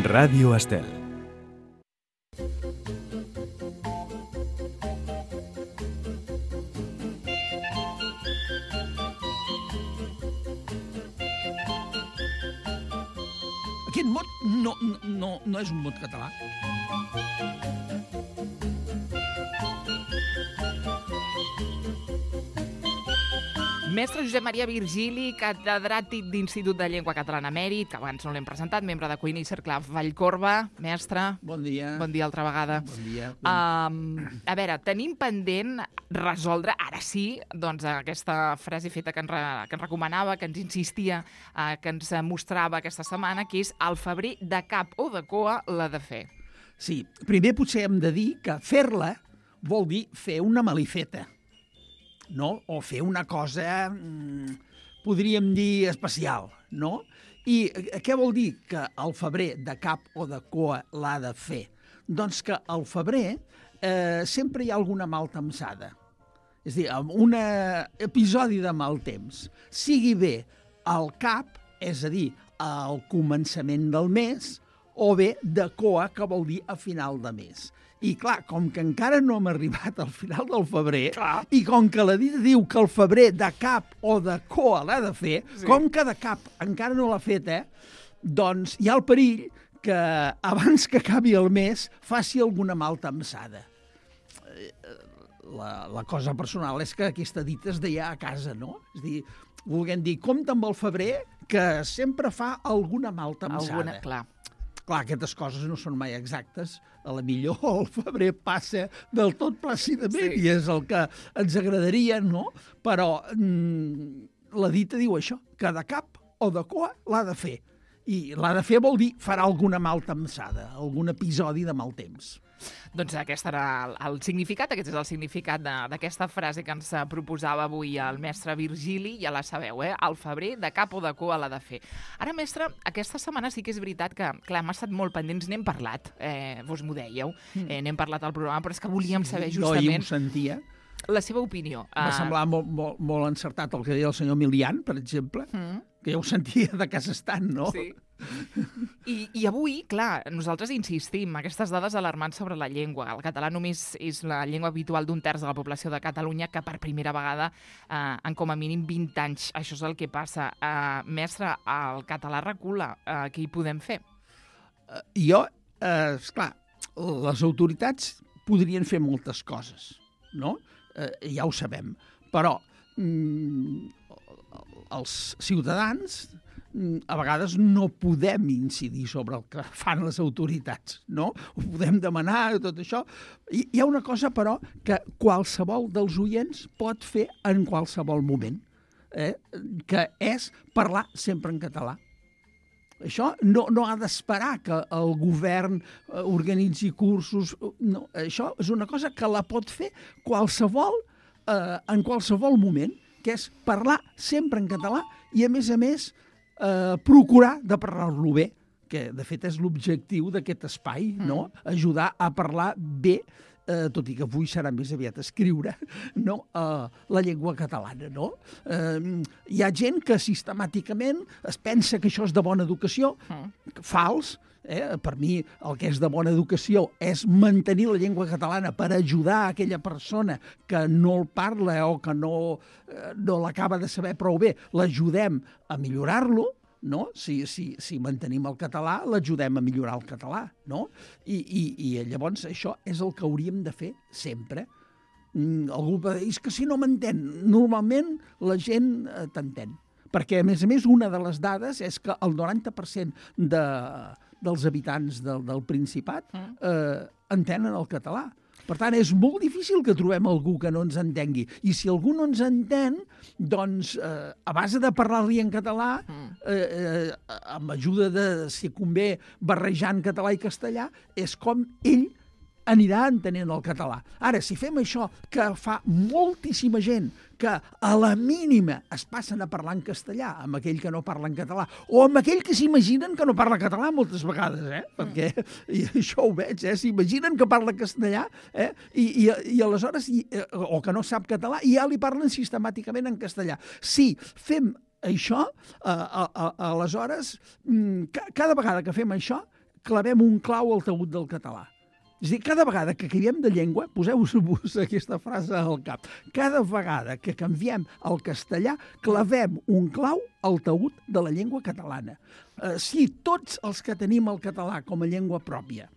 Ràdio Estel. Aquest mot no és un mot català. Mestre Josep Maria Virgili, catedràtic d'Institut de Llengua Catalana Emèrit, que abans no l'hem presentat, membre de Cuina i Cercle Vallcorba. Mestre, Bon dia. bon dia altra vegada. Bon dia. A veure, tenim pendent resoldre, ara sí, doncs aquesta frase feta que ens recomanava, que ens insistia, que ens mostrava aquesta setmana, que és el febrer de cap o de cua l'ha de fer. Sí, primer potser hem de dir que fer-la vol dir fer una malifeta, no? O fer una cosa, podríem dir, especial, no? I què vol dir que el febrer de cap o de cua l'ha de fer? Doncs que al febrer sempre hi ha alguna maltemsada. És a dir, un episodi de mal temps, sigui bé al cap, és a dir, al començament del mes, o bé de coa, que vol dir a final de mes. I clar, com que encara no hem arribat al final del febrer, i com que la dita diu que el febrer de cap o de coa l'ha de fer, sí. Com que de cap encara no l'ha fet, doncs hi ha el perill que abans que acabi el mes faci alguna maltemsada. La cosa personal és que aquesta dita es deia a casa, no? És a dir, volguem dir, compte amb el febrer, que sempre fa alguna maltemsada. Clar, aquestes coses no són mai exactes. A la millor el febrer passa del tot plàcidament, sí. I és el que ens agradaria, no? Però la dita diu això, que de cap o de cua l'ha de fer. I l'ha de fer vol dir farà alguna maltemsada, algun episodi de mal temps. Doncs aquest era el significat, aquest és el significat d'aquesta frase que ens proposava avui el mestre Virgili, ja la sabeu, el febrer de cap o de cua l'ha de fer. Ara, mestre, aquesta setmana sí que és veritat que, clar, hem estat molt pendents, n'hem parlat, vos m'ho dèieu, n'hem parlat al programa, però és que volíem saber justament... Jo ahir ho sentia. La seva opinió. Va semblar molt encertat el que deia el senyor Milian, per exemple, que ja ho sentia de casa estant, no? Sí. I avui, clar, nosaltres insistim, aquestes dades alarmants sobre la llengua. El català només és la llengua habitual d'un terç de la població de Catalunya, que per primera vegada en com a mínim 20 anys. Això és el que passa. Mestre, el català recula. Què hi podem fer? Esclar, les autoritats podrien fer moltes coses, no? Ja ho sabem. Però els ciutadans a vegades no podem incidir sobre el que fan les autoritats, no? Ho podem demanar, tot això. Hi ha una cosa, però, que qualsevol dels oients pot fer en qualsevol moment, que és parlar sempre en català. Això no ha d'esperar que el govern organitzi cursos. No, això és una cosa que la pot fer en qualsevol moment, que és parlar sempre en català i, a més, procurar de parlar-lo bé, que de fet és l'objectiu d'aquest espai, no? Ajudar a parlar bé, tot i que avui serà més aviat escriure, no? La llengua catalana, no? Hi ha gent que sistemàticament es pensa que això és de bona educació, fals. Per mi el que és de bona educació és mantenir la llengua catalana per ajudar aquella persona que no el parla o que no l'acaba de saber prou bé, l'ajudem a millorar-lo, no? Si mantenim el català, l'ajudem a millorar el català, no? I llavors això és el que hauríem de fer sempre. Algú va dir, és que si no m'entén, normalment la gent t'entén. Perquè, a més, una de les dades és que el 90% dels habitants del Principat entenen el català. Per tant, és molt difícil que trobem algú que no ens entengui. I si algú no ens entén, doncs, a base de parlar-li en català, amb ajuda de, si convé, barrejant català i castellà, és com ell anirà entenent el català. Ara, si fem això, que fa moltíssima gent que a la mínima es passen a parlar en castellà amb aquell que no parla en català, o amb aquell que s'imaginen que no parla català moltes vegades, perquè i això ho veig, s'imaginen que parla castellà, i aleshores, o que no sap català, i ja li parlen sistemàticament en castellà. Si fem això, aleshores, cada vegada que fem això, clavem un clau al taüt del català. És a dir, cada vegada que canviem de llengua, poseu-vos aquesta frase al cap, cada vegada que canviem el castellà, clavem un clau al taüt de la llengua catalana. Si tots els que tenim el català com a llengua pròpia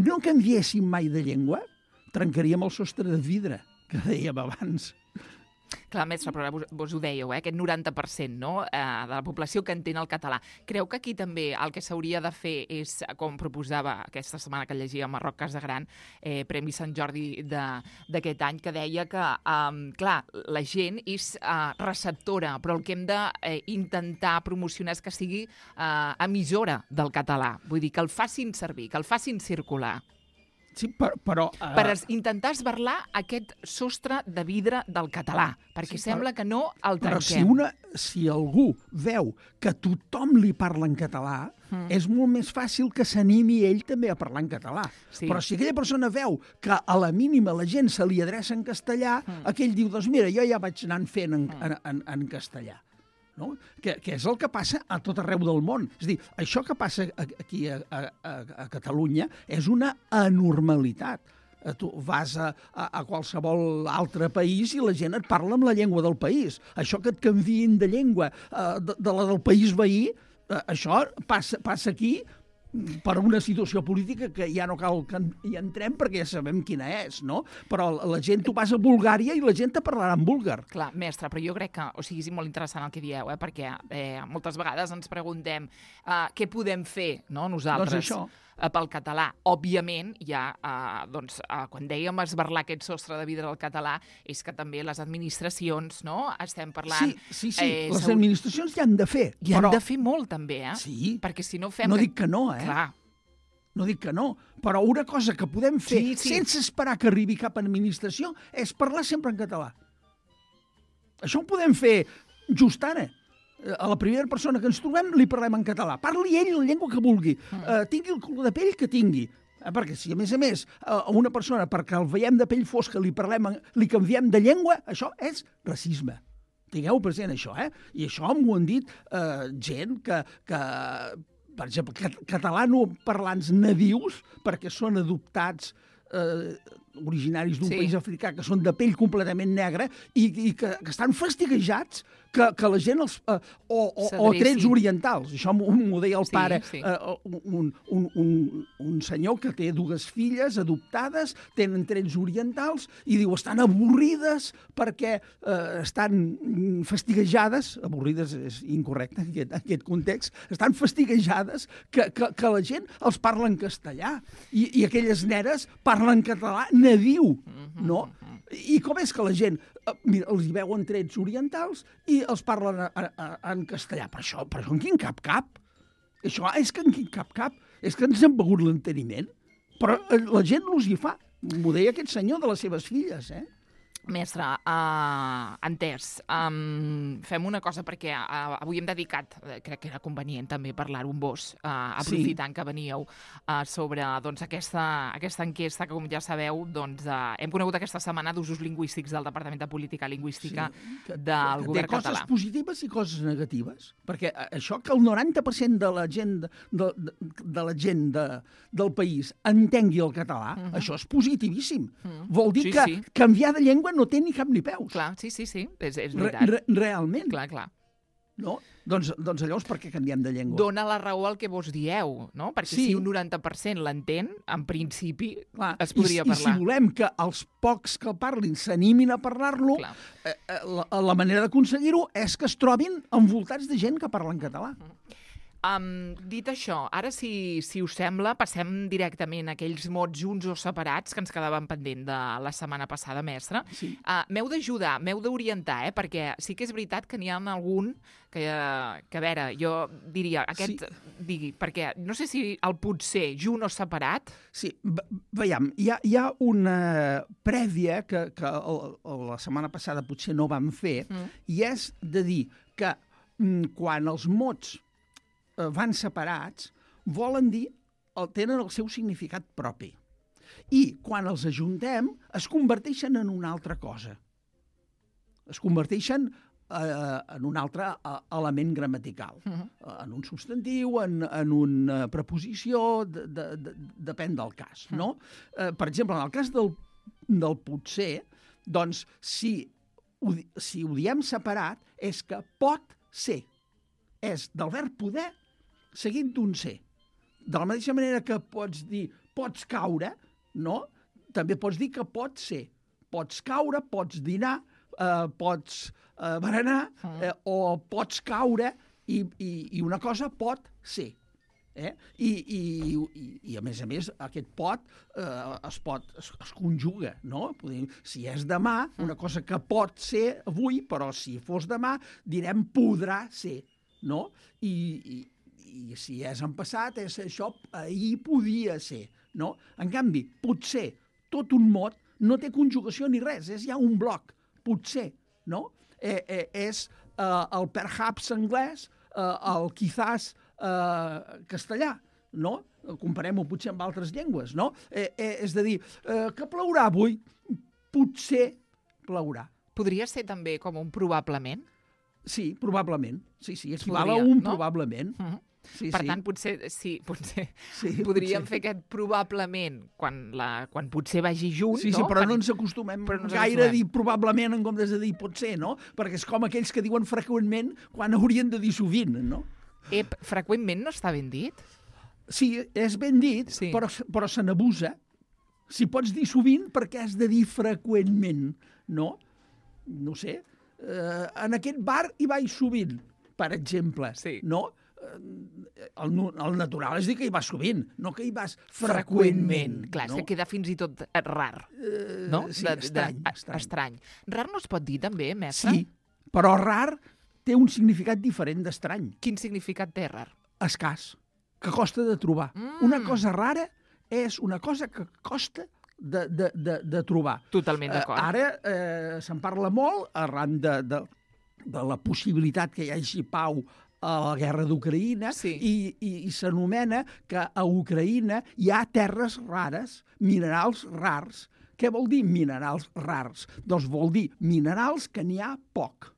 no canviéssim mai de llengua, trencaríem el sostre de vidre que dèiem abans. Clar, mestre, però vos ho dèieu, aquest 90%, no?, de la població que entén el català. Creu que aquí també el que s'hauria de fer és, com proposava aquesta setmana que llegia Marroc Casagran, Premi Sant Jordi d'aquest any, que deia que, clar, la gent és receptora, però el que hem d'intentar promocionar és que sigui emissora del català. Vull dir, que el facin servir, que el facin circular. Sí, però... Per intentar esberlar aquest sostre de vidre del català, perquè sembla que no el trenquem. Però si algú veu que tothom li parla en català, és molt més fàcil que s'animi ell també a parlar en català. Sí. Però si aquella persona veu que a la mínima la gent se li adreça en castellà, aquell diu, doncs mira, jo ja vaig anant fent en castellà. No? Que és el que passa a tot arreu del món. És a dir, això que passa aquí a Catalunya és una anormalitat. Tu vas a qualsevol altre país i la gent et parla amb la llengua del país. Això que et canviïn de llengua de la del país veí, això passa aquí per una situació política que ja no cal que hi entrem perquè ja sabem quina és, no? Però la gent, tu vas a Bulgària i la gent te parlarà en búlgar. Clar, mestre, però jo crec que, és molt interessant el que dieu, perquè moltes vegades ens preguntem què podem fer, no?, nosaltres, pel català. Òbviament, quan dèiem esberlar aquest sostre de vidre del català, és que també les administracions, no?, estem parlant... Sí, les administracions hi han de fer. Hi han de fer molt, també, Sí. Perquè si no fem... No dic que no, Clar. No dic que no, però una cosa que podem fer sense esperar que arribi cap administració és parlar sempre en català. Això ho podem fer just ara. A la primera persona que ens trobem li parlem en català. Parli ell la llengua que vulgui. Tingui el color de pell que tingui. Perquè si, a més, a una persona, perquè el veiem de pell fosca, li canviem de llengua, això és racisme. Tingueu present això, I això m'ho han dit gent que per exemple, catalanoparlants nadius, perquè són adoptats originaris d'un país africà, que són de pell completament negra i que estan fastiguejats que la gent o trets orientals. Això m'ho deia el pare. Un senyor que té 2 filles adoptades, tenen trets orientals, i diu, estan avorrides perquè estan fastiguejades, avorrides és incorrecte en aquest context, estan fastiguejades que la gent els parla en castellà i aquelles neres parlen català nadiu, no? I com és que la gent els hi veuen trets orientals i els parlen en castellà? Per això en quin cap? Això és que en quin cap? És que ens han begut l'enteniment. Però la gent els hi fa. M'ho deia aquest senyor de les seves filles, Mestre, entès. Fem una cosa, perquè avui hem dedicat, crec que era convenient també parlar-ho amb vos, aprofitant que veníeu, sobre aquesta enquesta que, com ja sabeu, hem conegut aquesta setmana d'usos lingüístics del Departament de Política Lingüística del govern català. Té coses positives i coses negatives, perquè això que el 90% de la gent del país entengui el català, això és positivíssim. Vol dir que canviar de llengua no té ni cap ni peus. Clar, sí, és veritat. Realment. Clar. No? Doncs llavors per què canviem de llengua? Dóna la raó al que vos dieu, no? Perquè si un 90% l'entén, en principi es podria parlar. I si volem que els pocs que parlin s'animin a parlar-lo, la manera d'aconseguir-ho és que es trobin envoltats de gent que parla en català. Dit això, ara, si us sembla, passem directament a aquells mots junts o separats que ens quedaven pendent de la setmana passada, mestre. M'heu d'ajudar, m'heu d'orientar, perquè sí que és veritat que n'hi ha algun que a veure, jo diria, digui, perquè no sé si el potser junt o separat... Sí, veiem, hi ha una prèvia que la setmana passada potser no vam fer, i és de dir que quan els mots van separats, volen dir, tenen el seu significat propi. I quan els ajuntem, es converteixen en una altra cosa. Es converteixen en un altre element gramatical. En un substantiu, en una preposició, depèn del cas, no? Per exemple, en el cas del potser, doncs, si ho diem separat, és que pot ser. És del verb poder seguint d'un ser. De la mateixa manera que pots dir pots caure, no? També pots dir que pot ser. Pots caure, pots dinar, pots berenar, o pots caure i una cosa pot ser. I a més, aquest pot es conjuga, no? Si és demà, una cosa que pot ser avui, però si fos demà, direm podrà ser, no? I si és en passat, és això, ahir podia ser, no? En canvi, potser, tot un mot, no té conjugació ni res, és ja un bloc, potser, no? És el perhaps anglès, el quizás castellà, no? Comparem-ho potser amb altres llengües, no? És a dir, que plourà avui? Potser plourà. Podria ser també com un probablement? Sí, probablement. Sí, equival a un probablement. Per tant, potser podríem fer aquest probablement quan potser vagi junt, no? Sí, però no ens acostumem gaire a dir probablement en comptes de dir potser, no? Perquè és com aquells que diuen freqüentment quan haurien de dir sovint, no? Freqüentment no està ben dit? Sí, és ben dit, però se n'abusa. Si pots dir sovint, per què has de dir freqüentment, no? No sé. En aquest bar hi vaig sovint, per exemple, no? El natural és dir que hi vas sovint, no que hi vas freqüentment. Clar, és que queda fins i tot rar, no? Sí, estrany. Rar no es pot dir també, mestre? Sí, però rar té un significat diferent d'estrany. Quin significat té rar? Escàs, que costa de trobar. Una cosa rara és una cosa que costa de trobar. Totalment d'acord. Ara se'n parla molt arran de la possibilitat que hi hagi pau a la guerra d'Ucraïna i s'anomena que a Ucraïna hi ha terres rares, minerals rars. Què vol dir minerals rars? Doncs vol dir minerals que n'hi ha poc.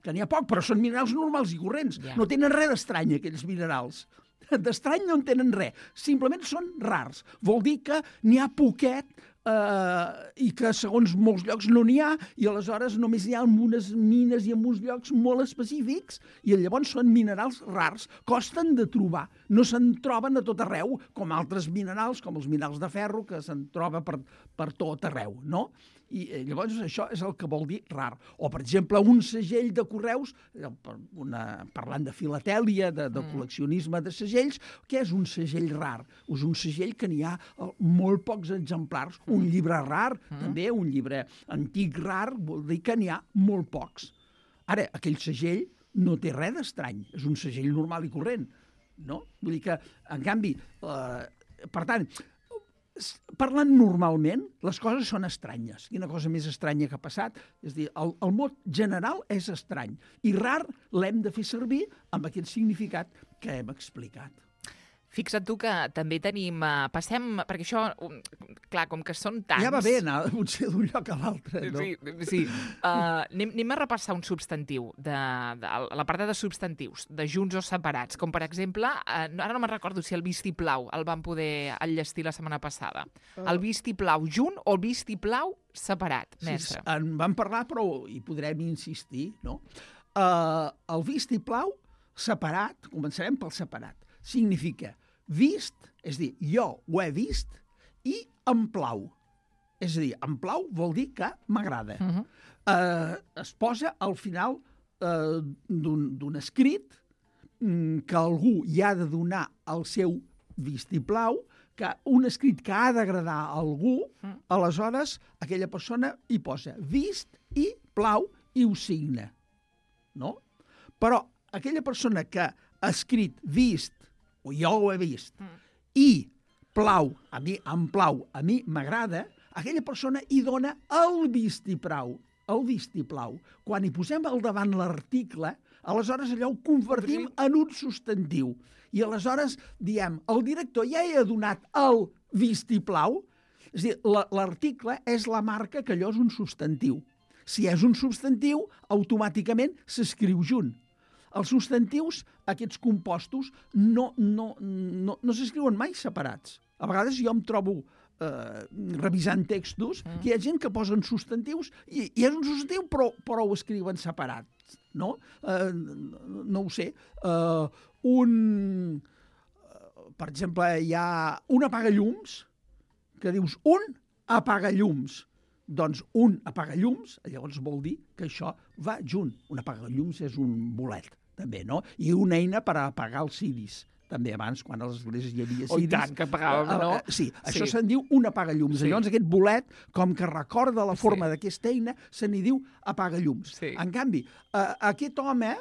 Que n'hi ha poc, però són minerals normals i corrents. No tenen res d'estrany, aquells minerals. D'estrany no en tenen res. Simplement són rars. Vol dir que n'hi ha poquet i que segons molts llocs no n'hi ha i aleshores només hi ha en unes mines i en uns llocs molt específics i llavors són minerals rars, costen de trobar, no se'n troben a tot arreu com altres minerals, com els minerals de ferro que se'n troba per tot arreu, no? I llavors això és el que vol dir rar. O, per exemple, un segell de correus, parlant de filatèlia, de col·leccionisme de segells, què és un segell rar? És un segell que n'hi ha molt pocs exemplars. Un llibre rar, també, un llibre antic rar, vol dir que n'hi ha molt pocs. Ara, aquell segell no té res d'estrany, és un segell normal i corrent, no? Vull dir que, en canvi, per tant, parlant normalment, les coses són estranyes. Quina cosa més estranya que ha passat? És a dir, el mot general és estrany. I rar l'hem de fer servir amb aquest significat que hem explicat. Fixa't tu que també tenim... Passem... Perquè això, clar, com que són tants... Ja va bé anar potser d'un lloc a l'altre, no? Sí. Anem a repassar un substantiu, la part de substantius, de junts o separats, com per exemple, ara no me'n recordo si el vistiplau el vam poder enllestir la setmana passada. El vistiplau junt o el vistiplau separat, mestre? Sí, en vam parlar, però hi podrem insistir, no? El vistiplau separat, començarem pel separat, significa vist, és a dir, jo ho he vist, i em plau. És a dir, em plau vol dir que m'agrada. Es posa al final d'un escrit que algú hi ha de donar el seu vistiplau, que un escrit que ha d'agradar a algú, aleshores aquella persona hi posa vist i plau i ho signa. No? Però aquella persona que ha escrit vist, o jo ho he vist, i plau, a mi em plau, a mi m'agrada, aquella persona hi dona el vistiplau. Quan hi posem al davant l'article, aleshores allò ho convertim en un substantiu. I aleshores diem, el director ja hi ha donat el vistiplau, és a dir, l'article és la marca que allò és un substantiu. Si és un substantiu, automàticament s'escriu junt. Els substantius, aquests compostos, no s'escriuen mai separats. A vegades jo em trobo revisant textos que hi ha gent que posen substantius i és un substantiu però ho escriuen separat, no? No ho sé. Per exemple, hi ha un apagallums que dius un apagallums. Doncs un apagallums, llavors vol dir que això va junt. Un apagallums és un bolet, també, no? I una eina per apagar els ciris. També abans, quan a les esglésies hi havia ciris. I tant, que apagàvem, no? Sí, això se'n diu un apagallums. Llavors aquest bolet, com que recorda la forma d'aquesta eina, se n'hi diu apagallums. En canvi, aquest home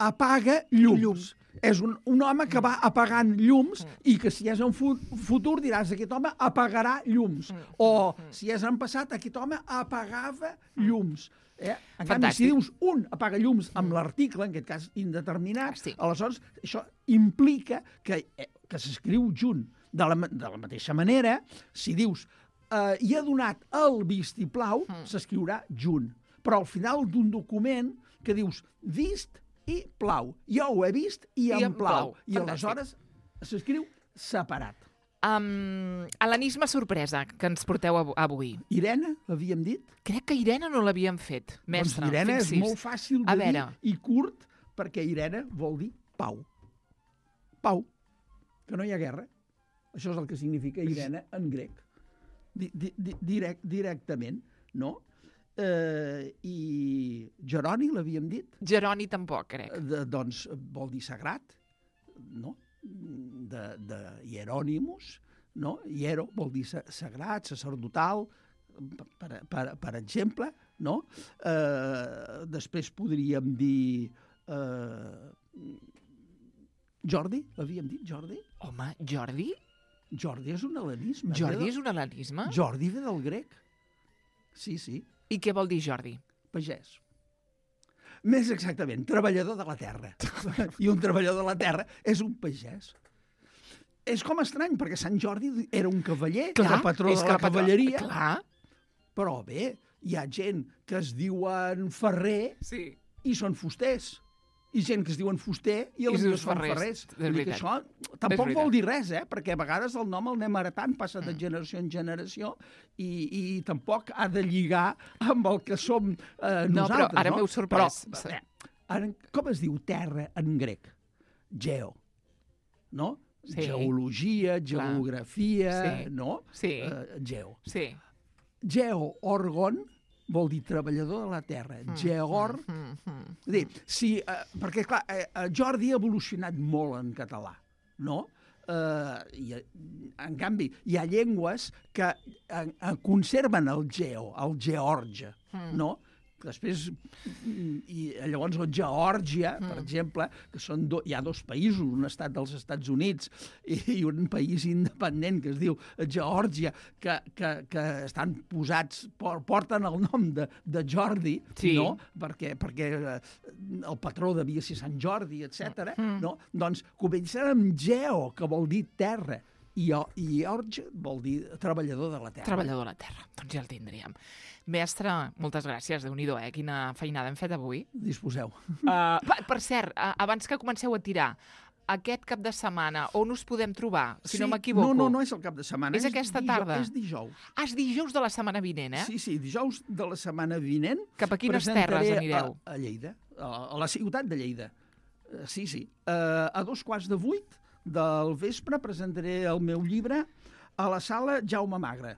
apaga llums. És un home que va apagant llums i que si és en futur diràs aquest home apagarà llums. O si és en passat, aquest home apagava llums. En canvi, si dius un apagallums amb l'article, en aquest cas indeterminat, aleshores això implica que s'escriu junt. De la mateixa manera, si dius hi ha donat el vistiplau, s'escriurà junt. Però al final d'un document que dius vist i plau. Jo ho he vist i em plau. I aleshores s'escriu separat. Hel·lenisme sorpresa que ens porteu avui. Irene, l'havíem dit? Crec que Irene no l'havíem fet, mestre. Doncs Irene és molt fàcil de dir i curt, perquè Irene vol dir pau. Pau. Que no hi ha guerra. Això és el que significa Irene en grec. Directament, no? I Jeroni, l'havíem dit? Jeroni tampoc, crec. Doncs vol dir sagrat, no? De Hieronymus, no? Hiero vol dir sagrat, sacerdotal, per exemple, no? Després podríem dir Jordi, l'havíem dit, Jordi? Home, Jordi? Jordi és un hel·lenisme. Jordi és un hel·lenisme? Jordi ve del grec. Sí, sí. I què vol dir Jordi? Pagès. Més exactament, treballador de la terra. I un treballador de la terra és un pagès. És com estrany, perquè Sant Jordi era un cavaller, era patró de la cavalleria. Clar. Però bé, hi ha gent que es diuen ferrer i són fusters. I gent que es diuen fuster i els dius són ferrers. Això tampoc vol dir res, perquè a vegades el nom el anem heretant, passa de generació en generació i tampoc ha de lligar amb el que som nosaltres. No, però ara m'heu sorprès. Com es diu terra en grec? Geo, no? Geologia, geografia, no? Geo. Geo, orgon, vol dir treballador de la terra. Geor... Perquè, clar, Jordi ha evolucionat molt en català, no? En canvi, hi ha llengües que conserven el geo, el george, no? Després, i llavors Geòrgia, per exemple, que hi ha dos països, un estat dels Estats Units i un país independent que es diu Geòrgia, que estan posats, porten el nom de Jordi, no? Perquè el patró devia ser Sant Jordi, etc. No? Doncs comencen amb Geo, que vol dir terra, i Geòrgia vol dir treballador de la terra. Treballador de la terra, doncs ja el tindríem. Mestre, moltes gràcies, Déu-n'hi-do, quina feinada hem fet avui. Disposeu. Per cert, abans que comenceu a tirar, aquest cap de setmana, on us podem trobar, si no m'equivoco? No és el cap de setmana. És aquesta tarda? És dijous. És dijous de la setmana vinent, Sí, dijous de la setmana vinent. Cap a quines terres anireu? A Lleida, a la ciutat de Lleida. Sí. A 7:15 del vespre presentaré el meu llibre a la sala Jaume Magre,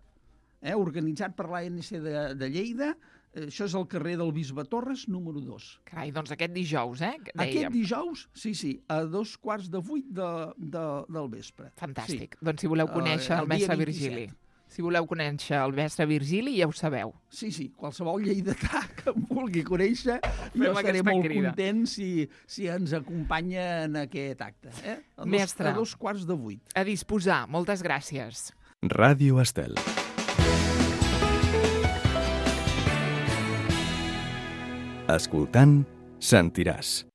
organitzat per l'ANC de Lleida. Això és al carrer del Bisbe Torres, número 2. Carai, doncs aquest dijous, Aquest dijous, sí, a 7:15 del vespre. Fantàstic. Doncs si voleu conèixer el mestre Virgili. Si voleu conèixer el mestre Virgili, ja ho sabeu. Sí, qualsevol lleidatà que em vulgui conèixer, jo estaré molt content si ens acompanya en aquest acte. Mestre, a 7:15. A disposar. Moltes gràcies. Ràdio Estel. Escoltant, sentiràs.